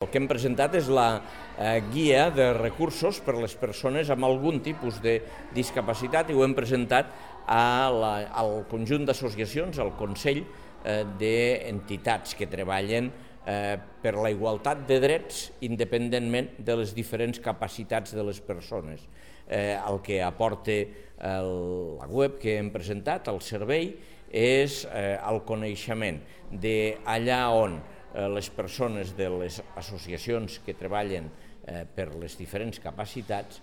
El que hem presentat és la guia de recursos per a les persones amb algun tipus de discapacitat i ho hem presentat al conjunt d'associacions, al Consell d'Entitats que treballen per la igualtat de drets independentment de les diferents capacitats de les persones. El que aporta la web que hem presentat, el servei, és el coneixement d'allà on les persones de les associacions que treballen per les diferents capacitats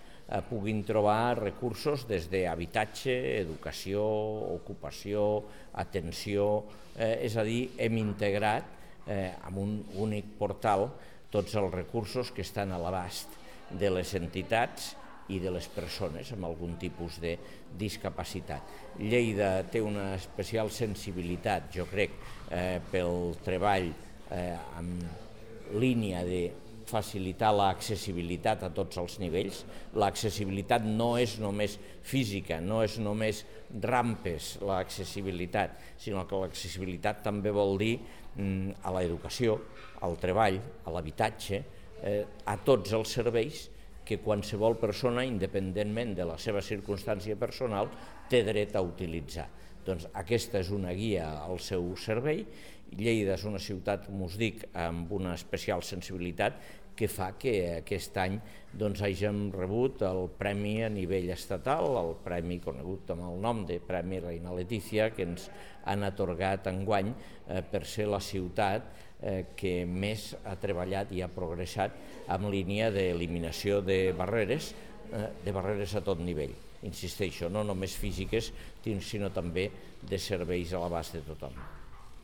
puguin trobar recursos des d'habitatge, educació, ocupació, atenció, és a dir, hem integrat en un únic portal tots els recursos que estan a l'abast de les entitats i de les persones amb algun tipus de discapacitat. Lleida té una especial sensibilitat, jo crec, pel treball en línia de facilitar l'accessibilitat a tots els nivells. L'accessibilitat no és només física, no és només rampes l'accessibilitat, sinó que l'accessibilitat també vol dir a l'educació, al treball, a l'habitatge, a tots els serveis que qualsevol persona, independentment de la seva circumstància personal, té dret a utilitzar. Doncs aquesta és una guia al seu servei. Lleida és una ciutat, com us dic, amb una especial sensibilitat que fa que aquest any hàgim rebut el premi a nivell estatal, el premi conegut amb el nom de Premi Reina Letícia, que ens han atorgat enguany per ser la ciutat que més ha treballat i ha progressat en línia d'eliminació de barreres a tot nivell. Insisteixo, no només físiques, sinó també de serveis a l'abast de tothom.